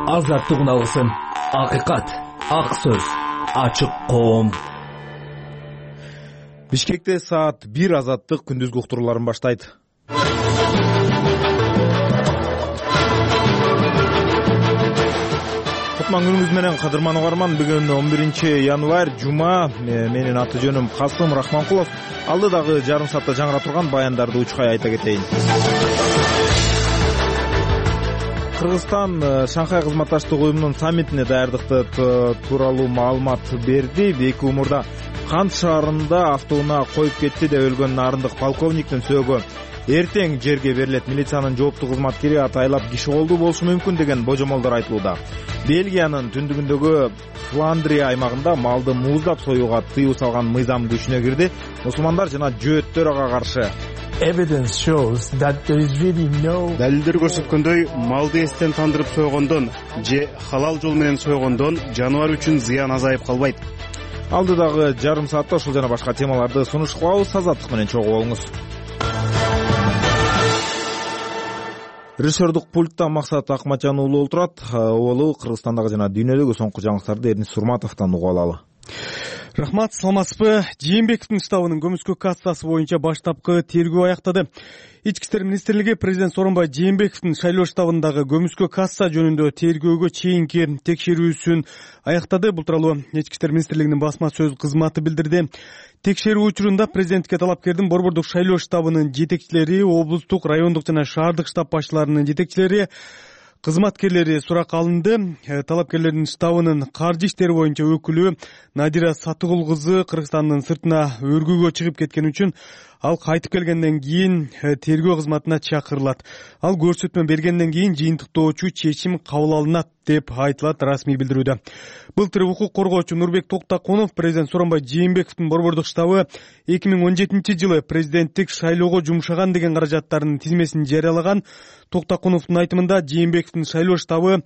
азаттык үналысын, акыйкат, ак сөз, ачык коом. Бишкекте саат 1 азаттык күндүзгү уктурууларын баштайт. Кутман күнүңүз менен кадырман угарман. Бүгүн 11 январь жума. Менин аты жөнүм Касым Рахманкулов. Алдыдагы жарым саатта жаңыра турган баяндарды учкай айта кетейин. Кыргызстан Шанхай кызматташтык уюмунун саммитине даярдыкты тууралуу маалымат берди. Эки умурда Кант шаарында автоунаа коюп кетти деп өлгөн нарындык полковниктин сөөгү эртең жерге берилет. Милициянын жооптуу кызматкери атайлап киши колдуу болушу мүмкүн деген божомолдор айтылууда. Бельгиянын түндүгүндөгү Фландрия аймагында малды мууздап союуга тыюу салган мыйзам күчүнө кирди. Мусулмандар жана жөөттөр ага каршы. Далилдер көрсөткөндөй, малды эстен тандырып сойгондон же халал жол менен сойгондон жаныбар үчүн зыян азайып калбайт. Алдыдагы жарым саатта ушул жана башка темаларды сунуш кылабыз. Азаттык менен чогуу болуңуз. Режиссердук пультта Максат Акматжан уулу отурат. Олу Кыргызстандагы жана дүйнөдөгү соңку жаңылыктарды Эрнис Сурматовдон угуп алалы. Рахмат, саламатсызбы? Жээнбековдун штабынын көмүскө кассасы боюнча баштапкы тергөө аяктады. Ички иштер министрлиги президент Сооронбай Жээнбековдун шайлоо штабындагы көмүскө касса жөнүндө тергөөгө чейинки текшерүүсүн аяктады. Бул тууралуу Ички иштер министрлигинин басма сөз кызматы билдирди. Текшерүү учурунда президентке талапкердин борбордук шайлоо штабынын жетекчилери, облустук, райондук жана шаардык штаб башчыларынын жетекчилери, кызматкерлери суракка алынды. Талапкерлердин штабынын каржы иштери боюнча өкүлү Надира Сатыгул кызы Кыргызстандын сыртына өргүүгө чыгып кеткен үчүн ал кайтып келгенден кийин тергөө кызматына чакырылат. Ал көрсөтмө бергенден кийин жыйынтыктоочу чечим кабыл алынат деп айтылат расмий билдирүүдө. Былтыр укук коргоочу Нурбек Токтакунов президент Сооронбай Жээнбековдун борбордук штабы 2017 жылы президенттик шайлоого жумшаган деген каражаттардын тизмесин жарыялаган. Токтакуновдун айтымында Жээнбековдун шайлоо штабы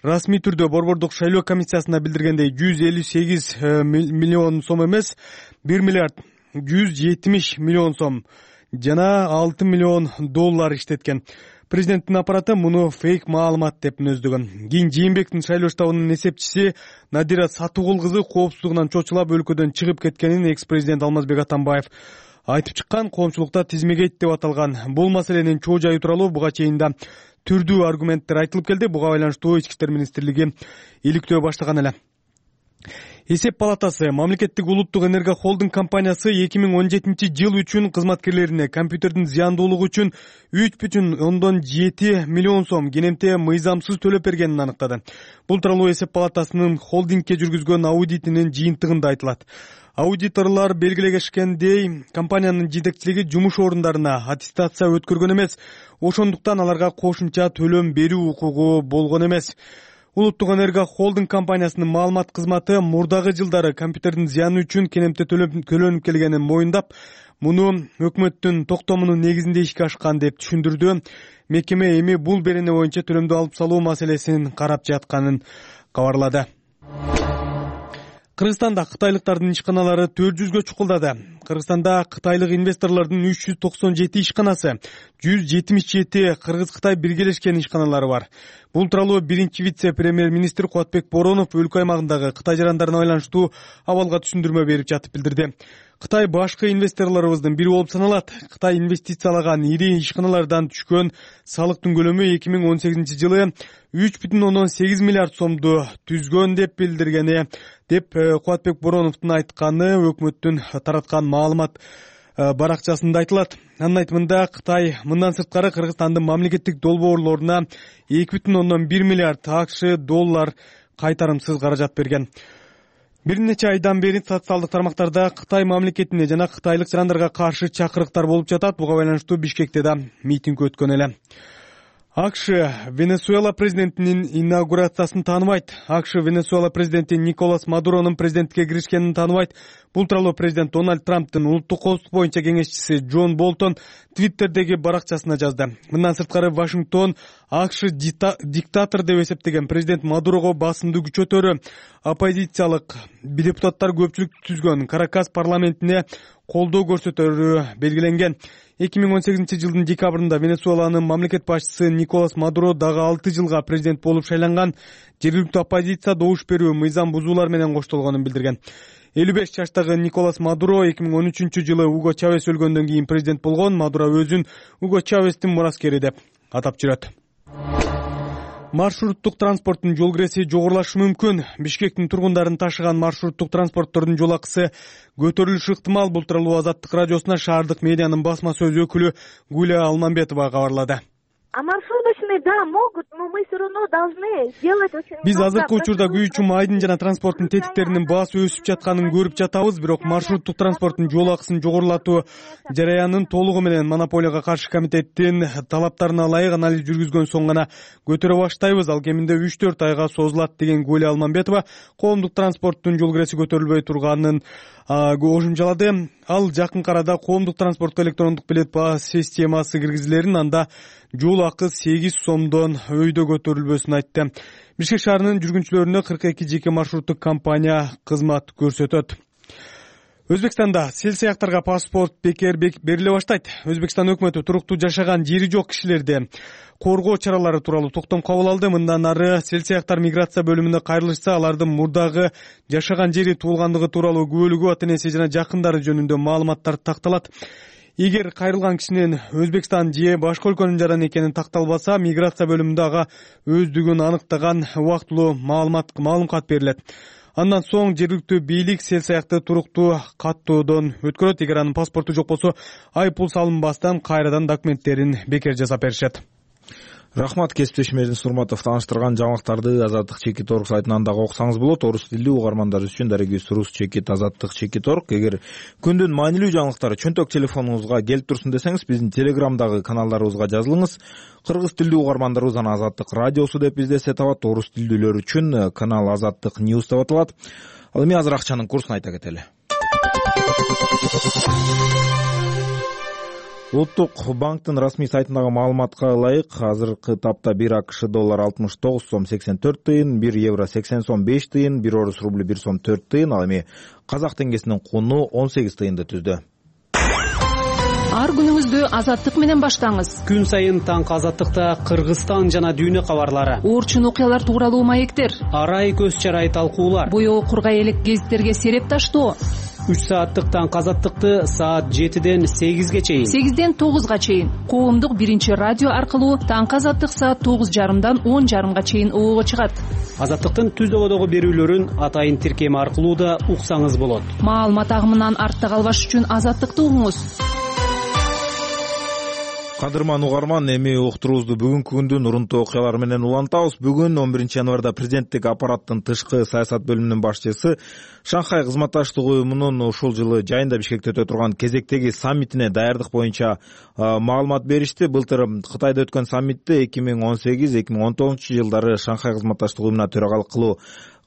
расмий түрдө борбордук шайлоо комиссиясына билдиргендей 158 миллион сом эмес, 1 миллиард 170 миллион сом жана 6 миллион доллар иштеткен. Президенттин аппараты муну фейк маалымат деп мүнөздөгөн. Кийин Жээнбековдун шайлоо штабынын эсепчиси Надира Сатыгул кызы коопсуздугунан чочулап өлкөдөн чыгып кеткенин экс-президент Алмазбек Атамбаев айтып чыккан. Коомчулукта тизмегейт деп аталган бул маселенин чоо жайы тууралуу буга чейин да түрдүү аргументтер айтылып келди. Буга байланыштуу Ички иштер министрлиги иликтөө баштаган эле. Эсеп палатасы мамлекеттик улуттук энерго холдинг компаниясы 2017 жыл үчүн кызматкерлерине компьютердин зыяндуулугу үчүн 3,7 миллион сом кенемте мыйзамсыз төлөп бергенин аныктады. Бул тууралуу эсеп палатасынын холдингке жүргүзгөн аудитинин жыйынтыгында айтылат. Аудиторлор белгилегенде компаниянын жетекчилиги жумуш орундарына аттестация өткөргөн эмес, ошондуктан аларга кошумча төлөм берүү укугу болгон эмес. Улуттук энерго холдинг компаниясынын маалымат кызматы мурдагы жылдары компьютердин зыяны үчүн кенемте төлөнүп келгенин моюндап, муну өкмөттүн токтомунун негизинде ишке ашкан деп түшүндүрдү. Мекеме эми бул берене боюнча төлөмдү алып салуу маселесин карап жатканын кабарлады. Кыргызстанда кытайлыктардын ишканалары 400гө чукулдады. Кыргызстанда кытайлык инвесторлордун 397 ишканасы, 177 Кыргыз-Кытай биргелешкен ишканалары бар. Бул тууралуу биринчи вице-премьер-министр Кубатбек Боронов өлкө аймагындагы Кытай жарандарына байланыштуу абалга түшүндүрмө берип жатып билдирди. Кытай башкы инвесторлорубуздун бири болуп саналат. Кытай инвестициялаган ири ишканалардан түшкөн салыктын көлөмү 2018 жылы 3,8 миллиард сомду түзгөн деп билдиргени деп Кубатбек Бороновдун айтканы өкмөттүн тараткан маалымат баракчасында айтылат. Анын айтымында Кытай мындан сырткары Кыргызстандын мамлекеттик долбоорлоруна 2,1 миллиард АКШ доллар кайтарымсыз каражат берген. Бир нече айдан бери социалдык тармактарда Кытай мамлекетине жана кытайлык жарандарга каршы чакырыктар болуп жатат. Буга байланыштуу Бишкекте да митинг өткөн эле. АКШ Венесуэла президентинин инаугурациясын тааныбайт. АКШ Венесуэла президенти Николас Мадуронун президенттикке киришкенин тааныбайт. Бул тууралуу президент Дональд Трамптын улуттук коопсуздук боюнча кеңешчиси Джон Болтон Твиттердеги баракчасына жазды. Мындан сырткары Вашингтон АКШ диктатор деп эсептеген президент Мадурого басымды күчөтөрү оппозициялык депутаттар көпчүлүк түзгөн Каракас парламентине колдоо көрсөтөрү белгиленген. 2018-жылдын декабрында Венесуэланын мамлекет башчысы Николас Мадуро дагы 6 жылга президент болуп шайланган. Жергиликтүү оппозиция добуш берүү, мыйзам бузуулар менен коштолгонун билдирген. 55 жаштагы Николас Мадуро 2013-жылы Уго Чавес өлгөндөн кийин президент болгон. Мадуро өзүн Уго Чавестин мураскери деп атап жүрөт. Маршруттук транспорттун жол киреси жогорулашы мүмкүн. Бишкектин тургундарын ташыган маршруттук транспорттордун жол акысы көтөрүлүшү ыктымал. Бул тууралуу Азаттык радиосуна шаардык медианын басма сөз өкүлү Гуля Алмамбетова кабарлады. А маршруточные, да, могут, но мы все равно должны сделать очень много. Биз азыркы учурда күйүүчү майдын жана транспорттун тетиктеринин баасы өсүп жатканын көрүп жатабыз, бирок маршруттук транспорттун жол акысын жогорулатуу жараянын толугу менен монополияга каршы комитеттин талаптарына ылайык анализ жүргүзгөн соң гана көтөрө баштайбыз. Ал кеминде 3-4 айга созулат деген Гуля Алмамбетова коомдук транспорттун жол киреси көтөрүлбөй турганын кошумчалады. Ал жакынкы арада коомдук транспортко электрондук билет баа системасы киргизилерин, анда жол акы 8 сомдон өйдө көтөрүлбөсүн айтты. Бишкек шаарынын жүргүнчүлөрүнө 42 жеке маршруттук компания кызмат көрсөтөт. Өзбекстанда сел сыяктарга паспорт бекер бериле баштайт. Өзбекстан өкмөтү туруктуу жашаган жери жок кишилерди коргоо чаралары тууралуу токтом кабыл алды. Мындан ары сел сыяктар миграция бөлүмүнө кайрылышса, алардын мурдагы жашаган жери туулгандыгы тууралуу күбөлүгү, ата-энеси жана жакындары жөнүндө маалыматтар такталат. Эгер кайрылган кишинин Өзбекстан же башка өлкөнүн жараны экени такталбаса, миграция бөлүмүндө ага өздүгүн аныктаган убактылуу маалым кат берилет. Андан соң жергиликтүү бийлик сел саякты туруктуу каттоодон өткөрөт. Эгер анын паспорту жок болсо, айыппул салынбастан кайрадан документтерин бекер жасап беришет. Рахмат, кесиптешим Эрдинис Урматов тааныштырган жаңылыктарды Азаттык Чекит.орг сайтынан дагы окусаңыз болот. Орус тилдүү угармандар үчүн дарегибиз Рус Чекит Азаттык Чекит.орg. Эгер күндүн маанилүү жаңылыктары чөнтөк телефонуңузга келип турсун десеңиз, биздин Телеграмдагы каналдарыбызга жазылыңыз. Кыргыз тилдүү угармандарыбыз аны Азаттык радиосу деп издесе табат. Орус тилдүүлөр үчүн канал Азаттык News деп аталат. Ал эми азыр акчанын курсун айта кетели. Улуттук банктын расмий сайтындагы маалыматка ылайык, азыркы тапта 1 АКШ доллар 69 сом 84 тыйын, 1 евро 80 сом 5 тыйын, 1 орус рубль 1 сом 4 тыйын, ал эми казак теңгесинин куну 18 тыйынды түздү. Ар күнүңүздү Азаттык менен баштаңыз. Күн сайын таңкы Азаттыкта Кыргызстан жана дүйнө кабарлары, орчун окуялар тууралуу маектер, арай көз чарай талкуулар, боёо кургай элек гезиттерге сереп таштоо. 3 сааттык таңкы Азаттыкты саат 7ден 8ге чейин, 8ден 9га чейин коомдук биринчи радио аркылуу таңкы Азаттык саат 9:30дан 10:30га чейин оого чыгат. Азаттыктын түздөгөдөгү берүүлөрүн атайын тиркеми аркылуу да уксаңыз болот. Маалымат агымынан артта калбаш үчүн Азаттыкты угуңуз. Кадырман угарман, эми уктуруубузду бүгүнкү күндүн урунтуу окуялары менен улантабыз. Бүгүн 11 январда президенттик аппараттын тышкы саясат бөлүмүнүн башчысы Шанхай кызматташтык уюмунун ушул жылы жайында Бишкекте өтө турган кезектеги саммитине даярдык боюнча маалымат беришти. Былтыр Кытайда өткөн саммитте 2018-2019 жылдары Шанхай кызматташтык уюмуна төрагалык кылуу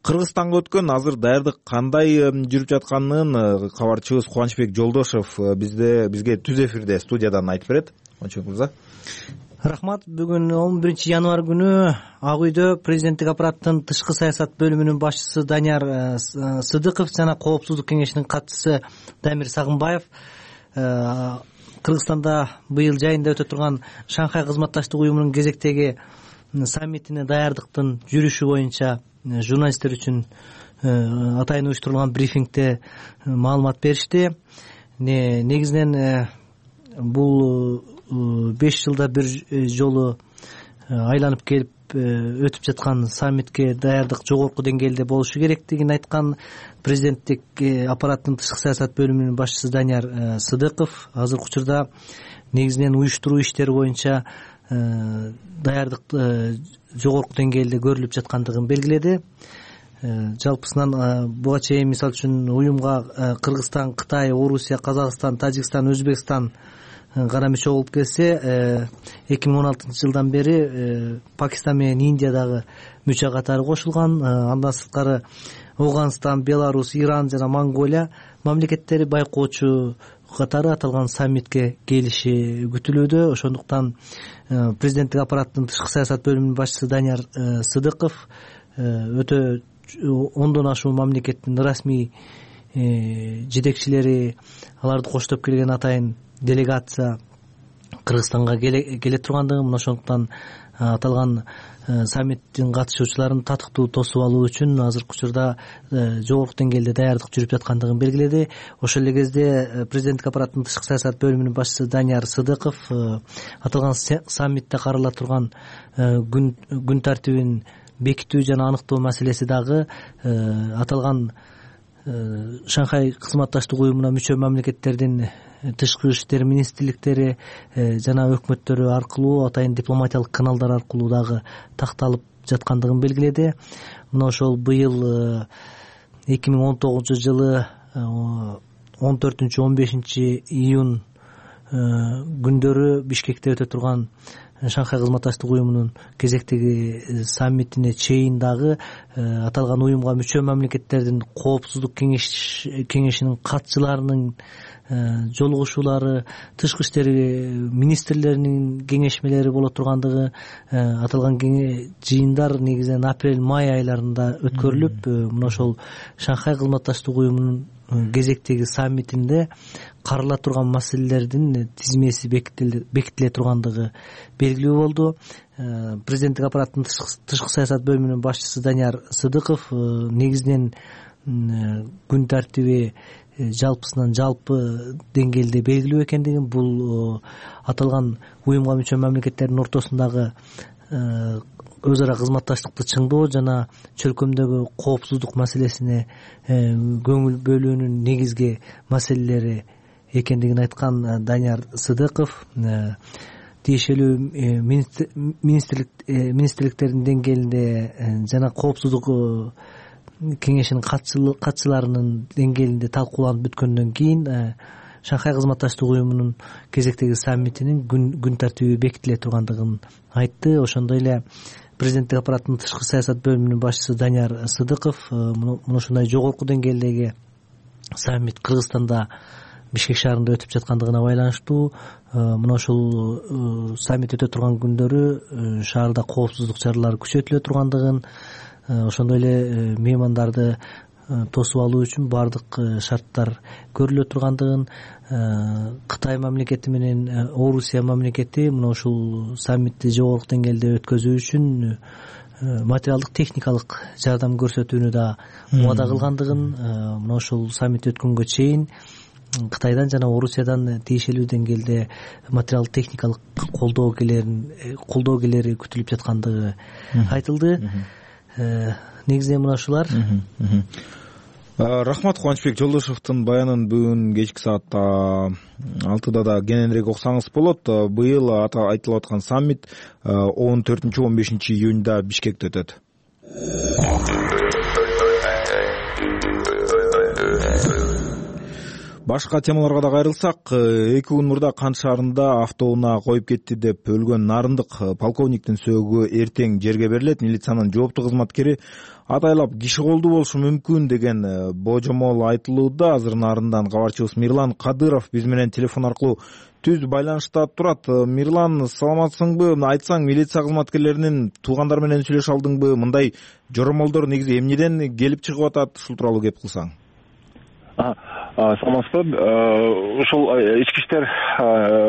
Кыргызстанга өткөн. Азыр даярдык кандай жүрүп жатканын кабарчыбыз Кубанычбек Жолдошев бизге түз эфирде студиядан айтып берет. Рахмат. Бүгүн 11 январ күнү Ак үйдө президенттик аппараттын тышкы саясат бөлүмүнүн башчысы Данияр Сыдыков жана Коопсуздук кеңешинин катчысы Дамир Сагынбаев Кыргызстанда быйыл жайында өтө турган Шанхай кызматташтык уюмунун кезектеги саммитине даярдыктын жүрүшү боюнча журналисттер үчүн атайын уюштурулган брифингде маалымат беришти. Негизинен бул 5 жылда бир жолу айланып келип өтүп жаткан саммитке даярдык жогорку деңгээлде болушу керектигин айткан президенттик аппараттын тышкы саясат бөлүмүнүн башчысы Данияр Сыдыков азыркы учурда негизинен уюштуруу иштери боюнча даярдык жогорку деңгээлде көрүлүп жаткандыгын белгиледи. Жалпысынан буга чейин мисалы үчүн уюмга Кыргызстан, Кытай, Орусия, Казакстан, Тажикстан, Өзбекстан кара мүчө болуп келсе, 2016 жылдан бери Пакистан менен Индия дагы мүчө катары кошулган. Андан сырткары Афганистан, Беларусь, Иран жана Монголия мамлекеттери байкоочу катары аталган саммитке келиши күтүлүүдө. Ошондуктан президенттик аппараттын тышкы саясат бөлүмүнүн башчысы Данияр Сыдыков өтө 10дон ашуун мамлекеттин расмий жетекчилери, аларды коштоп келген атайын делегация Кыргызстанга келе тургандыгын, мына ошондуктан аталган саммиттин катышуучуларын татыктуу тосуп алуу үчүн азыркы учурда жогорку деңгээлде даярдык жүрүп жаткандыгын белгиледи. Ошол эле кезде президенттик аппараттын тышкы саясат бөлүмүнүн башчысы Данияр Сыдыков аталган саммитте карала турган күн тартибин бекитүү жана аныктоо маселеси дагы аталган Шанхай кызматташтык уюмуна мүчө мамлекеттердин тышкы иштер министрликтери жана өкмөттөрү аркылуу, атайын дипломатиялык каналдар аркылуу дагы такталып жаткандыгын белгиледи. Мына ошол быйыл 2019 жылы 14-15 июнь күндөрү Бишкекте өтө турган Шанхай кызматташтык уюмунун кезектеги саммитине чейин дагы аталган уюмга мүчө мамлекеттердин коопсуздук кеңешинин катчыларынын жолугушуулары, тышкы иштер министрлеринин кеңешмелери боло тургандыгы, аталган жыйындар негизинен апрель-май айларында өткөрүлүп, мына ошол Шанхай кызматташтык уюмунун кезектеги саммитинде карала турган маселелердин тизмеси бекитиле тургандыгы белгилүү болду. Президенттик аппараттын тышкы саясат бөлүмүнүн башчысы Данияр Сыдыков негизинен күн тартиби жалпысынан жалпы деңгээлде белгилүү экендигин, бул аталган уюмга мүчө мамлекеттердин ортосундагы өз ара кызматташтыкты чыңдоо жана чөлкөмдөгү коопсуздук маселесине көңүл бөлүүнүн негизги маселелери экендигин айткан Данияр Сыдыков тиешелүү министрликтердин деңгээлинде жана коопсуздук кеңешинин катчыларынын деңгээлинде талкууланып бүткөндөн кийин Шанхай кызматташтык уюмунун кезектеги саммитинин күн тартиби бекитиле тургандыгын айтты. Ошондой эле президенттик аппараттын тышкы саясат бөлүмүнүн башчысы Данияр Сыдыков мына ушундай жогорку деңгээлдеги саммит Кыргызстанда Бишкек шаарында өтүп жаткандыгына байланыштуу мына ушул саммит өтө турган күндөрү шаарда коопсуздук чаралары күчөтүлө тургандыгын, ошондой эле меймандарды тосуп алуу үчүн баардык шарттар көрүлө тургандыгын, Кытай мамлекети менен Орусия мамлекети мына ушул саммитти жогорку деңгээлде өткөзүү үчүн материалдык техникалык жардам көрсөтүүнү да убада кылгандыгын, мына ушул саммит өткөнгө чейин Кытайдан жана Орусиядан тиешелүү деңгээлде материалдык техникалык колдоо келери күтүлүп жаткандыгы айтылды. Негизинен мына ушулар. Рахмат, Кубанычбек Жолдошевдун баянын бүгүн кечки саатта 6-да да кененирээк окусаңыз болот. Быйыл айтылып аткан саммит 14-15 июньда Бишкекте өтөт. Башка темаларга да кайрылсак, 2 күн мурда Кант шаарында автоунаа коюп кетти деп өлгөн нарындык полковниктин сөөгү эртең жерге берилет. Милициянын жооптуу кызматкери атайлап киши колдуу болушу мүмкүн деген божомол айтылууда. Азыр нарындан кабарчыбыз Мирлан Кадыров биз менен телефон аркылуу түз байланышта турат. Мирлан, саламатсыңбы? Айтсаң, милиция кызматкерлеринин туугандары менен сүйлөшө алдыңбы? Мындай жоромолдор негизи эмнеден келип чыгып атат? Ушул тууралуу кеп кылсаң. Саламатсызбы. Ушул ички иштер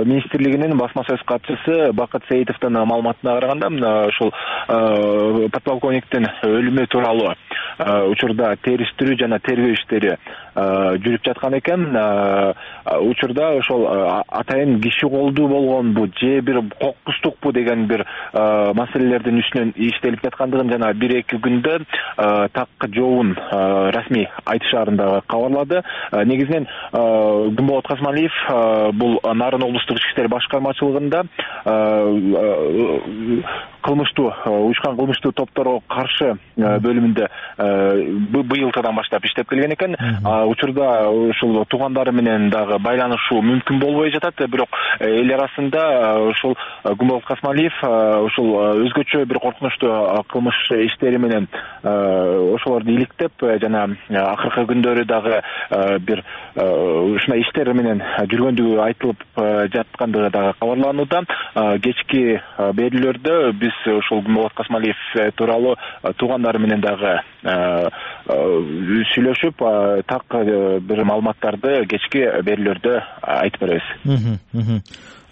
министрлигинин басма сөз катчысы Бакыт Сеитовдун маалыматына караганда, ушул подполковниктин өлүмү тууралуу учурда териштирүү жана тергөө иштери жүрүп жаткан экен. Учурда ошол атайын киши колдуу болгонбу же бир кокустукпу деген бир маселелердин үстүнөн иштелип жаткандыгын жана 1-2 күндө так жообун расмий айтышаарында кабарлады. Негизинен Гүмболот Касмалиев бул Нарын облустук ички иштер башкармачылыгында уюшкан кылмыштуу топторго каршы бөлүмүндө быйылтыдан баштап иштеп келген экен. Учурда ушул туугандары менен дагы байланышуу мүмкүн болбой жатат. Бирок эл арасында ушул Гүмболот Касмалиев ушул өзгөчө бир коркунучтуу кылмыш иштери менен ошолорду иликтеп жана акыркы күндөрү дагы бир ушундай иштер менен жүргөндүгү айтылып жаткандыгы дагы кабарланууда. Кечки берүүлөрдө биз биз ушул Гүлболот Касмалиев тууралуу туугандары менен дагы сүйлөшүп, так бир маалыматтарды кечки берүүлөрдө айтып беребиз.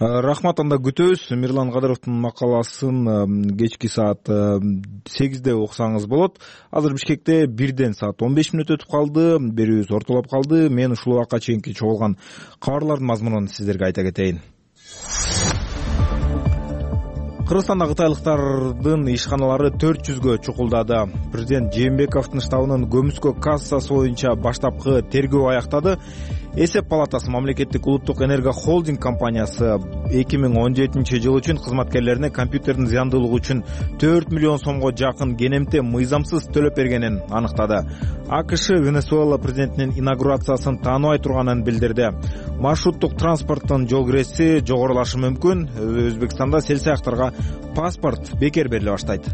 Рахмат, анда күтөбүз. Мирлан Кадыровдун макаласын кечки саат 8-де окусаңыз болот. Азыр Бишкекте 1-ден саат 15 мүнөт өтүп калды. Берүүбүз ортолоп калды. Мен ушул убакка чейинки чогулган кабарлардын мазмунун сиздерге айта кетейин. Кыргызстанда кытайлыктардын ишканалары 400гө чукулдады. Президент Жээнбековдун штабынын көмүскө кассасы боюнча баштапкы тергөө аяктады. Эсеп палатасы мамлекеттик улуттук энерго холдинг компаниясы 2017 жыл үчүн кызматкерлерине компьютердин зыяндуулугу үчүн 4 миллион сомго жакын кенемте мыйзамсыз төлөп бергенин аныктады. АКШ Венесуэла президентинин инаугурациясын тааныбай турганын билдирди. Маршруттук транспорттун жол киреси жогорулашы мүмкүн. Өзбекстанда селсаяктарга паспорт бекер бериле баштайт.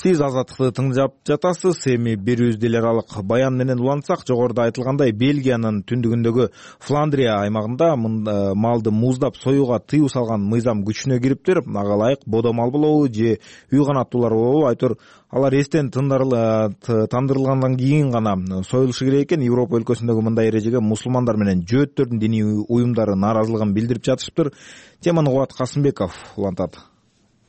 Сиз Азаттыкты тыңдап жатасыз. Эми берүүбүздү эл аралык баян менен улантсак, жогоруда айтылгандай, Бельгиянын түндүгүндөгү Фландрия аймагында малды муздап союуга тыюу салган мыйзам күчүнө кириптир. Ага ылайык бодо мал болобу же үй канаттуулар болобу, айтор алар эстен тандырылгандан кийин гана союлушу керек экен. Европа өлкөсүндөгү мындай эрежеге мусулмандар менен жөөттөрдүн диний уюмдары нааразылыгын билдирип жатышыптыр. Теманы Кубат Касымбеков улантат.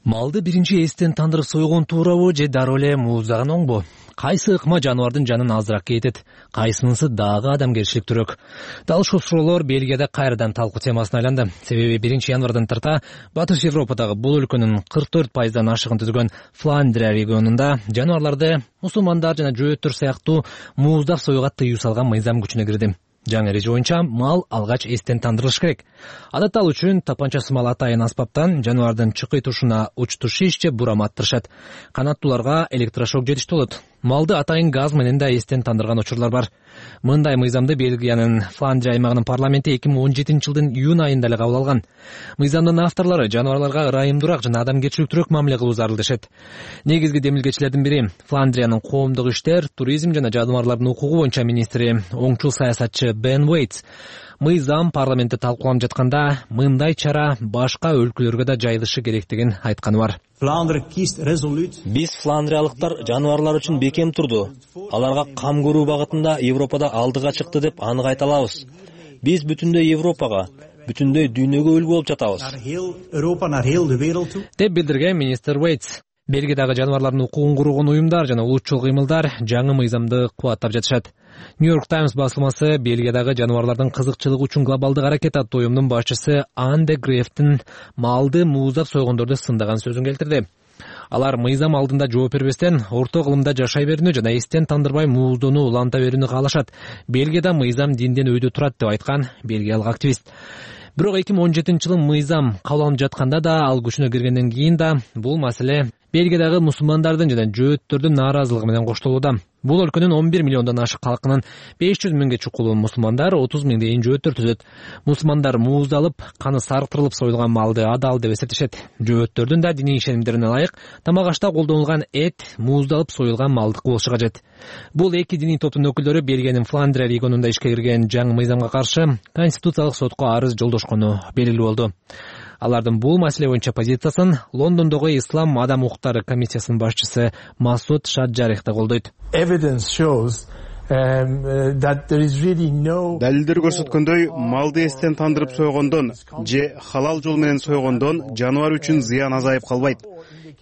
Малды биринчи эстен тандырып сойгон туурабы же дароо эле мууздаган оңбу? Кайсы ыкма жаныбардын жанын азыраак кетет, кайсынысы дагы адамгерчиликтүүрөөк? Дал ушул суроолор Бельгияда кайрадан талкуу темасына айланды. Себеби 1-январдан тарта Батыш Европадагы бул өлкөнүн 44% ашыгын түзгөн Фландрия регионунда жаныбарларды мусулмандар жана жөөттөр сыяктуу мууздап союуга тыюу салган мыйзам күчүнө кирди. Жаңы эреже боюнча мал алгач эстен тандырылыш керек. Адатта ал үчүн тапанча сымал атайын аспаптан жаныбардын чыкый тушуна учту шиш же бурама аттырышат. Канаттууларга электрошок жетиштүү болот. Малды атайын газ менен да эстен тандырган учурлар бар. Мындай мыйзамды Бельгиянын Фландрия аймагынын парламенти 2017 жылдын июнь айында эле кабыл алган. Мыйзамдын авторлору жаныбарларга ырайымдуураак жана адамгерчиликтүүрөөк мамиле кылуу зарыл дешет. Негизги демилгечилердин бири Фландриянын коомдук иштер, туризм жана жаныбарлардын укугу боюнча министри, оңчул саясатчы Бен Уэйтс. Мыйзам парламентте талкууланып жатканда мындай чара башка өлкөлөргө да жайылышы керектигин айтканы бар. Биз фландриялыктар жаныбарлар үчүн бекем турду. Аларга кам көрүү багытында Европада алдыга чыкты деп анык айта алабыз. Биз бүтүндөй Европага, бүтүндөй дүйнөгө үлгү болуп жатабыз, деп билдирген министр Уэйтс. Бельгиядагы жаныбарлардын укугун кургон уюмдар жана улутчул кыймылдар жаңы мыйзамды кубаттап жатышат. Нью-Йорк Таймс басылмасы Бельгиядагы жаныбарлардын кызыкчылыгы үчүн глобалдык аракет аттуу уюмдун башчысы Анде Грефтин малды мууздап сойгондорду сындаган сөзүн келтирди. Алар мыйзам алдында жооп бербестен орто кылымда жашай берүүнү жана эстен тандырбай мууздоону уланта берүүнү каалашат. Бельгияда мыйзам динден өйдө турат деп айткан бельгиялык активист. Бирок 2017 жылы мыйзам кабыл алынып жатканда да, ал күчүнө киргенден кийин да бул маселе Бельгиядагы мусулмандардын жана жөөттөрдүн нааразылыгы менен коштолууда. Бул өлкөнүн 11 миллиондон ашык халкынын 500 миңге чукулуу мусулмандар, 30 миңдей жөөттөр түзөт. Мусулмандар мууздалып, каны сарктырылып союлган малды адал деп эсептешет. Жөөттөрдүн да диний ишенимдерине ылайык тамак ашта колдонулган эт мууздалып союлган малдык болушу кажет. Бул эки диний топтун өкүлдөрү Бельгиянын Фландрия регионунда ишке кирген жаңы мыйзамга каршы конституциялык сотко арыз жолдошкону белгилүү болду. Алардын бул маселе боюнча позициясын Лондондогу Ислам адам укуктары комиссиясынын башчысы Масуд Шаджарих да колдойт. Далилдер көрсөткөндөй, малды эстен тандырып сойгондон же халал жол менен сойгондон жаныбар үчүн зыян азайып калбайт.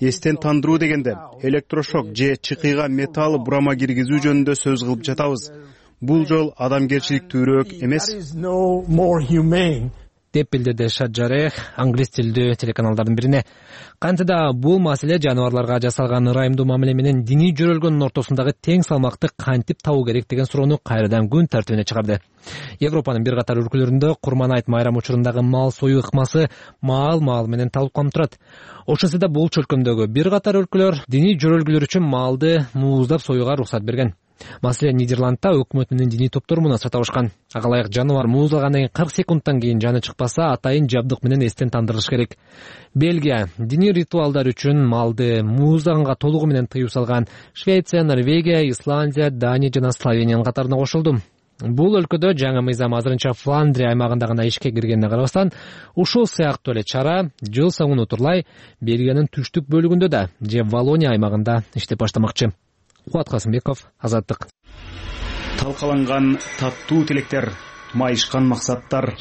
Эстен тандыруу дегенде электрошок же чыкыйга металл бурама киргизүү жөнүндө сөз кылып жатабыз. Бул жол адамгерчиликтүүрөөк эмес, деп билдирди Шаджарих англис тилдүү телеканалдардын бирине. Кантида бул маселе жаныбарларга жасалган ырайымдуу мамиле менен диний жөрөлгөндүн ортосундагы тең салмакты кантип табуу керек деген суроону кайрадан күн тартибине чыгарды. Европанын бир катар өлкөлөрүндө Курман-айт майрам учурундагы мал союу ыкмасы маал менен талкууланып турат. Ошондо да бул чөлкөмдөгү бир катар өлкөлөр диний жөрөлгүлөр үчүн малды мууздап союуга уруксат берген. Маселен, Нидерландта өкмөт менен диний топтор мунасырат табышкан. Ага ылайык жаныбар мууздалгандан 40 секундтан кийин жаны чыкпаса, атайын жабдык менен эстен тандырылыш керек. Бельгия диний ритуалдар үчүн малды мууздаганга толугу менен тыюу салган. Швеция, Норвегия, Исландия, Дания жана Словениянын катарына кошулду. Бул өлкөдө жаңы мыйзам азырынча Фландрия аймагында гана ишке киргенине карабастан, ушул сыяктуу эле чара жыл соңуна утурлай Бельгиянын түштүк бөлүгүндө да же Валония аймагында иштеп баштамакчы. Кубат Касымбеков, Азаттык. Талкаланган таттуу тилектер, майышкан максаттар.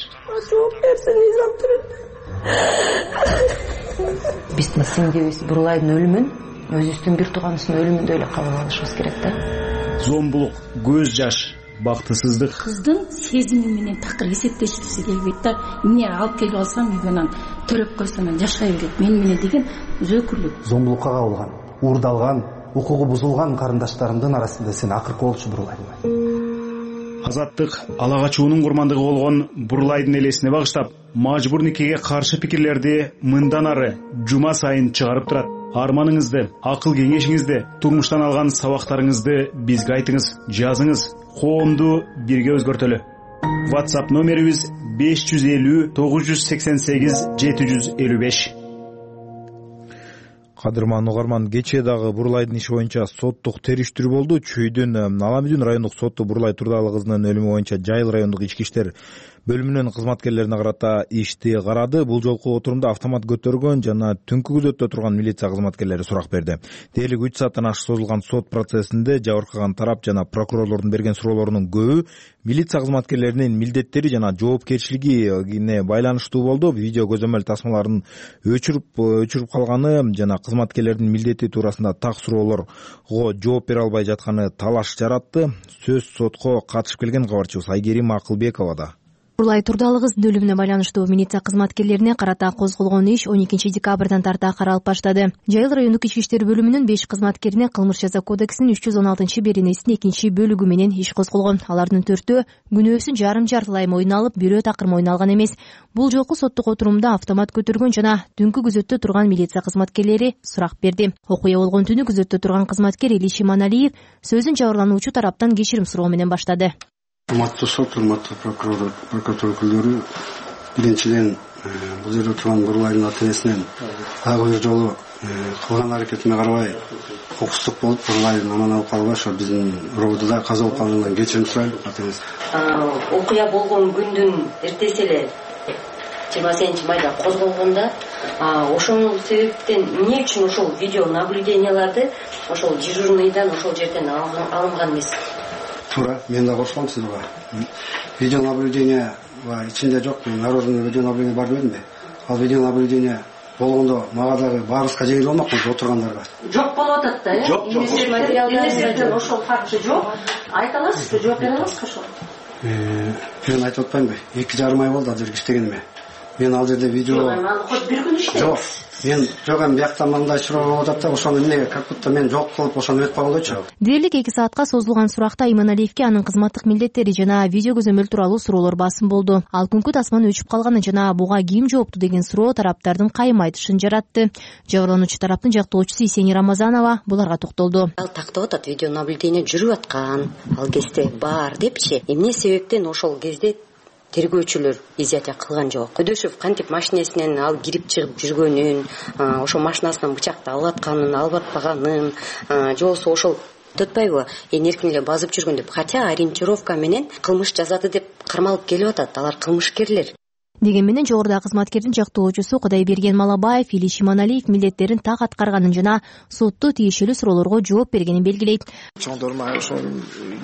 Биздин сиңдибиз Бурлайдын өлүмүн өзүбүздүн бир тууганыбыздын өлүмүндөй эле кабыл алышыбыз керек да. Зомбулук, көз жаш, бактысыздык. Кыздын сезими менен такыр эсептешкиси келбейт да. Эмне алып келип алсам үйгө төрөп койсом жашай берет менен деген өзөкүрлүк. Зомбулукка кабылган, уурдалган, укугу бузулган карындаштарымдын арасында сен акыркы болчу Бурлайдын. Азаттык ала качуунун курмандыгы болгон Бурлайдын элесине багыштап, мажбур никеге каршы пикирлерди мындан ары жума сайын чыгарып турат. Арманыңызды, акыл кеңешиңизди, турмуштан алган сабактарыңызды бизге айтыңыз, жазыңыз, коомду бирге өзгөртөлү. WhatsApp номерибиз 550 988 755. Кадырман угарман, кечээ дагы Бурлайдын иши боюнча соттук териштирүү болду. Чүйдүн Аламүдүн райондук соту Бурлай Турдалы кызынын өлүмү боюнча Жайыл райондук ички иштер бөлүмүнүн кызматкерлерине карата ишти карады. Бул жолку отурумда автомат көтөргөн жана түнкү күзөттө турган милиция кызматкерлери сурак берди. Дээрлик 3 сааттан ашык созулган сот процессинде жабыркаган тарап жана прокурорлордун берген суроолорунун көбү милиция кызматкерлеринин милдеттери жана жоопкерчилигине байланыштуу болду. Видео көзөмөл тасмаларын өчүрүп калганы жана кызматкерлердин милдети туурасында так суроолорго жооп бере албай жатканы талаш жаратты. Сөз сотко катышып келген кабарчыбыз Айгерим Акылбековада. Бурлай Турдалы кыздын өлүмүнө байланыштуу милиция кызматкерлерине карата козголгон иш 12 декабрдан тарта каралып баштады. Жайыл райондук ички иштер бөлүмүнүн 5 кызматкерине кылмыш жаза кодексинин 316-беренесинин 2 бөлүгү менен иш козголгон. Алардын 4-өө күнөөсүн жарым-жартылай мойнуна алып, бирөө такыр мойнуна алган эмес. Бул жолку соттук отурумда автомат көтөргөн жана түнкү күзөттө турган милиция кызматкерлери сурак берди. Окуя болгон түнү күзөттө турган кызматкер Илиш Иманалиев сөзүн жабырлануучу тараптан кечирим суроо менен баштады. Урматтуу сот, урматтуу прокуратура өкүлдөрү, биринчиден бул жерде турган Бурлайдын ата-энесинен дагы бир жолу кылган аракетиме карабай кокустук болуп Бурлайдын аман алып калбай ошо биздин роодо каза болуп калгандан кечирим сурайм ата-энеси. Окуя болгон күндүн эртеси эле 28 майда козголгонда ошол себептен эмне үчүн ошол видео наблюденияларды ошол дежурныйдан ошол жерден алынган эмес? Туура, мен да кошулам сизге. Видео наблюдение ичинде жок, народный видео наблюдение бар демедимби? Ал видео наблюдение болгондо мага дагы баарыбызга жеңил болмокпу отургандарга. Жок болуп атат да, Жок. материалдарда ошол факты жок. Айта аласызбы, жооп бере аласызбы ошол? Мен айтып атпаймынбы? 2,5 ай болду азыр иштегениме. Мен ал жерде видео Хоть бир күн иштейт. Жок. Мен жок эми биякта мындай суроо болуп атат да, ошону эмнеге как будто мен жок кылып ошону эметип койгондойчу. Дээрлик 2 саатка созулган суракта Иманалиевке анын кызматтык милдеттери жана видео көзөмөл тууралуу суроолор басым болду. Ал күнкү тасманы өчүп калганы жана буга ким жоопту деген суроо тараптардын кайым айтышын жаратты. Жабырлануучу тараптын жактоочусу Исени Рамазанова буларга токтолду. Ал тактап атат, видео наблюдение жүрүп аткан, ал кезде бар депчи. Эмне себептен ошол кезде тергөөчүлөр изятия кылган жок. Көдөшев кантип машинесинен ал кирип чыгып жүргөнүн, ошо машинасынан бычакты алып атканын, алып атпаганын, же болбосо ошол төтпайбы эркин эле базып жүргөн деп. Хотя ориентировка менен кылмыш жазады деп кармалып келип атат. Алар кылмышкерлер. Деген менен жогоруда кызматкердин жактоочусу Кудайберген Малабаев Илиш Иманалиев милдеттерин так аткарганын жана сотто тиешелүү суроолорго жооп бергенин белгилейт. Чоңдорма ошо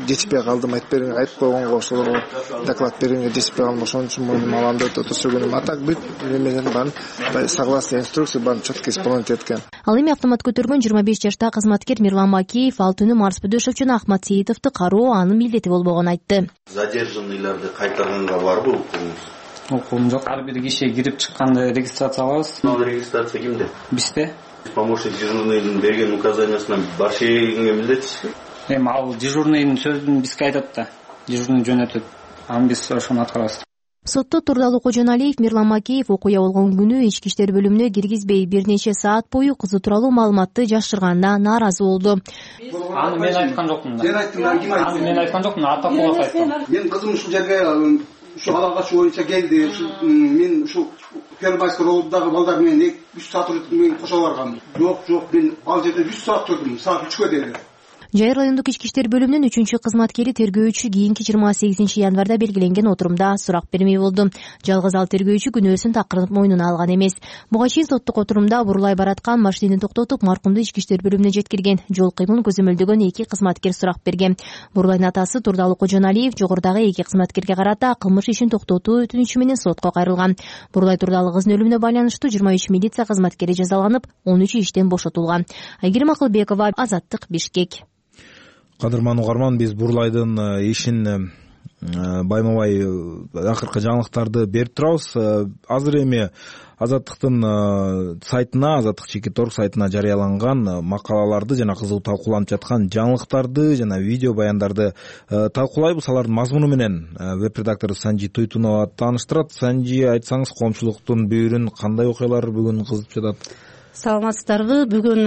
жетишпей калдым, айтып койгонго ошолорго доклад бергенге жетишпей калдым, ошон үчүн мойнума алам деп өтө а так бүт менен баарын согласно инструкция баарын четко исполнять эткен. Ал эми автомат көтөргөн 25 жаштагы кызматкер Мирлан Макеев ал түнү Марс Бөдөшев жана Ахмат Сейитовду кароо анын милдети болбогонун айтты. Задержанныйларды кайтарганга барбы укугуңуз? Укугум жок. Ар бир киши кирип чыкканды регистрация кылабыз. Ал регистрация кимде? Бизде. Помощник дежурныйдын берген указаниясына баршы эгенге милдетсизби? Эми ал дежурныйдын сөзүн бизге айтат да. Дежурный жөнөтөт. Аны биз ошону аткарабыз. Сотто Турдалы Кожоналиев Мирлан Макеев окуя болгон күнү ички иштер бөлүмүнө киргизбей бир нече саат бою кызы тууралуу маалыматты жашырганына нааразы болду. Аны мен айткан жокмун да. Сен айттың, ким айтты? Мен айткан жокмун, Атакулов айткан. Мен кызым ушул жерге ушу алгач боюнча келди. Мен ушу Первомайский рооддагы балдар менен 3 саат мен кошо баргам. Жок, мен ал жерде 3 саат турдум, саат 3кө деди. Жайыр райондук ички иштер бөлүмүнүн 3 кызматкери тергөөчү кийинки 28 январда белгиленген отурумда сурак бермей болду. Жалгыз ал тергөөчү күнөөсүн такырып мойнуна алган эмес. Буга чейин соттук отурумда бурлай бараткан машинени токтотуп, маркумду ички иштер бөлүмүнө жеткирген, жол кыймылын көзөмөлдөгөн 2 кызматкер сурак берген. Бурлайдын атасы Турдалы Кожоналиев жогорудагы 2 кызматкерге карата кылмыш ишин токтотуу өтүнүчү менен сотко кайрылган. Бурлай Турдалы кыздын өлүмүнө байланыштуу 23 милиция кызматкери жазаланып, 13 иштен бошотулган. Айгерим Акылбекова, Азаттык, Бишкек. Кадырман угарман, биз Бурлайдын ишин байма-бай акыркы жаңылыктарды берип турабыз. Азыр эми Азаттыктын сайтына, Азаттык Чекиторг сайтына жарыяланган макалаларды жана кызуу талкууланып жаткан жаңылыктарды жана видео баяндарды талкуулайбыз. Алардын мазмуну менен веб-редактору Санжи Туйтунова тааныштырат. Санжи, айтсаңыз, коомчулуктун бүйүрүн кандай окуялар бүгүн кызып жатат? Саламатсыздарбы? Бүгүн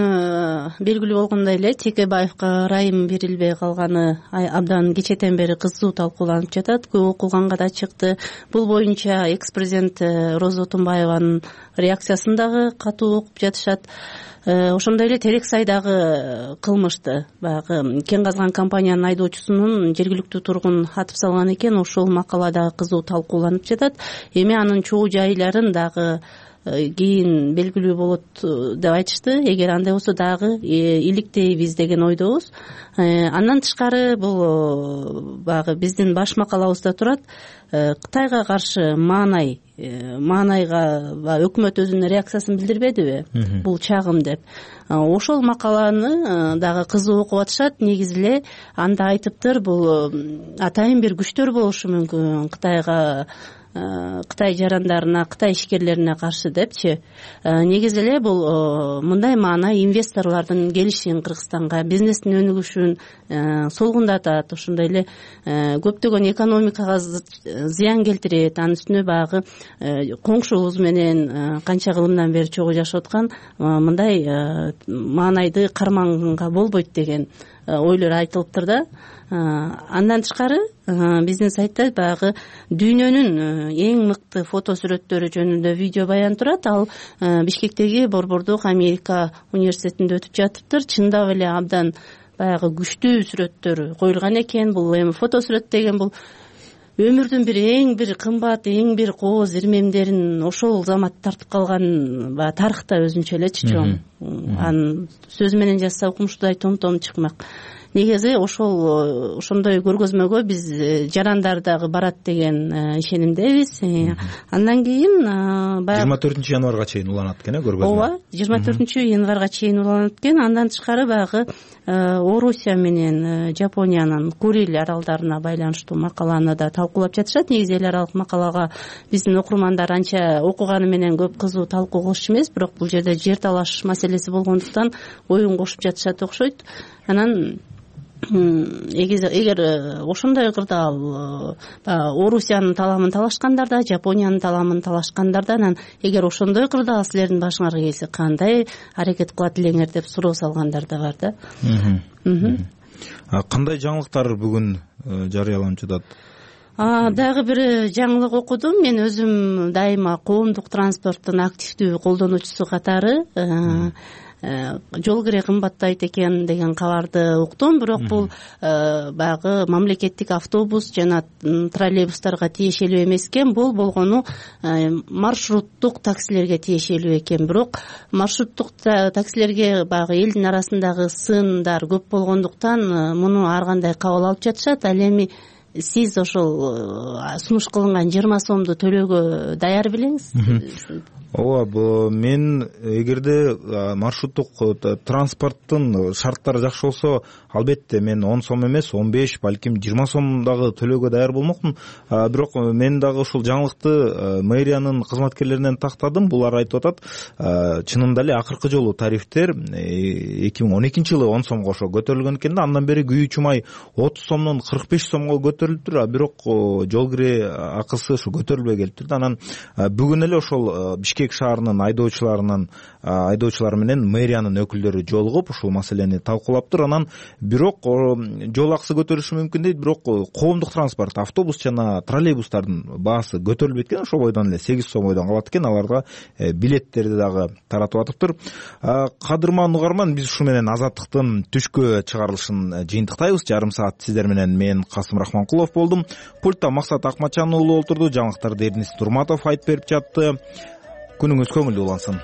белгилүү болгондой эле Текебаевка ырайым берилбей калганы абдан кечетен бери кызуу талкууланып жатат. Көп окуганга да чыкты. Бул боюнча экс-президент Роза Отунбаеванын реакциясын дагы катуу окуп жатышат. Ошондой эле Терек сайдагы кылмышты, баягы кен казган компаниянын айдоочусунун жергиликтүү тургун атып салган экен. Ошол макала дагы кызуу талкууланып жатат. Эми анын чогуу жайларын дагы кийин белгилүү болот деп айтышты. Эгер андай болсо дагы иликтейбиз деген ойдобуз. Андан тышкары бул баягы биздин баш макалабызда турат. Кытайга каршы маанайга өкмөт өзүнүн реакциясын билдирбедиби? Бул чагым деп. Ошол макаланы дагы кызуу окуп атышат. Негизи эле анда айтыптыр, бул атайын бир күчтөр болушу мүмкүн Кытай жарандарына, Кытай ишкерлерине каршы депчи. Негизи эле бул мындай маана инвесторлордун келишин Кыргызстанга, бизнестин өнүгүшүн солгундатат, ошондой эле көптөгөн экономикага зыян келтирет. Анын үстүнө баягы коңшубуз менен канча кылымдан бери чогуу жашап аткан мындай маанайды карманганга болбойт деген ойлор айтылыптыр да. Андан тышкары биздин сайтта баягы дүйнөнүн эң мыкты фото сүрөттөрү жөнүндө видео баян турат. Ал Бишкектеги Борбордук Америка университетинде өтүп жатыптыр. Чындап эле абдан баягы күчтүү сүрөттөр коюлган экен. Бул эми фото сүрөт деген бул өмүрдүн эң бир кымбат, эң бир кооз ирмемдерин ошол замат тартып калган баягы тарыхта өзүнчө эле чоң. Анын сөз менен жазса укмуштуудай том чыкмак. Негизи ошондой көргөзмөгө биз жарандар дагы барат деген ишенимдебиз. Андан кийин 24 январга чейин уланат экен көргөзмө. Ооба, 24 январга чейин уланат экен. Андан тышкары баягы Орусия менен Жапониянын Курил аралдарына байланыштуу макаланы да талкуулап жатышат. Негизи эл аралык макалага биздин окурмандар анча окуганы менен көп кызуу талкуу кылышчу эмес, бирок бул жерде жер талаш маселеси болгондуктан оюн кошуп жатышат окшойт. Анан эгер ошондой кырдаал Орусиянын таламын талашкандар да, Жапониянын таламын талашкандар да, анан эгер ошондой кырдаал силердин башыңарга келсе кандай аракет кылат элеңер деп суроо салгандар да бар да. Кандай жаңылыктар бүгүн жарыяланып жатат? Дагы бир жаңылык окудум. Мен өзүм дайыма коомдук транспорттун активдүү колдонуучусу катары жол кире кымбаттайт экен деген кабарды уктум. Бирок бул баягы мамлекеттик автобус жана троллейбустарга тиешелүү эмес экен. Бул болгону маршруттук таксилерге тиешелүү экен. Бирок маршруттук таксилерге баягы элдин арасындагы сындар көп болгондуктан муну ар кандай кабыл алып жатышат. Ал эми сиз ошол сунуш кылынган 20 сомду төлөөгө даяр белеңиз? Ооба, мен эгерде маршруттук транспорттун шарттары жакшы болсо, албетте мен 10 сом эмес, 15, балким 20 сом дагы төлөөгө даяр болмокмун. Бирок мен дагы ушул жаңылыкты мэриянын кызматкерлеринен тактадым. Булар айтып атат, чынында эле акыркы жолу тарифтер 2012 жылы 10 сомго ошо көтөрүлгөн экен да, андан бери күйүүчү май 30 сомдон 45 сомго көтөрүлүптүр, а бирок жол кире акысы ушу көтөрүлбөй келиптир да. Анан бүгүн эле ошол Бишкек шаарынын айдоочулары менен мэриянын өкүлдөрү жолугуп ушул маселени талкуулаптыр. Анан бирок жол акысы көтөрүлүшү мүмкүн дейт, бирок коомдук транспорт, автобус жана троллейбустардын баасы көтөрүлбөйт экен. Ошол бойдон эле 8 сомдон калат экен. Аларга билеттерди дагы таратып атыптыр. Кадырман угарман, биз ушу менен Азаттыктын түшкө чыгарылышын жыйынтыктайбыз. Жарым саат сиздер менен мен Касым Рахманкулов болдум. Пультта Максат Акматжан уулу олтурду. Жаңылыктарды Эрнис Турматов айтып берип жатты. Күнүңүз көңүлдүү улансын.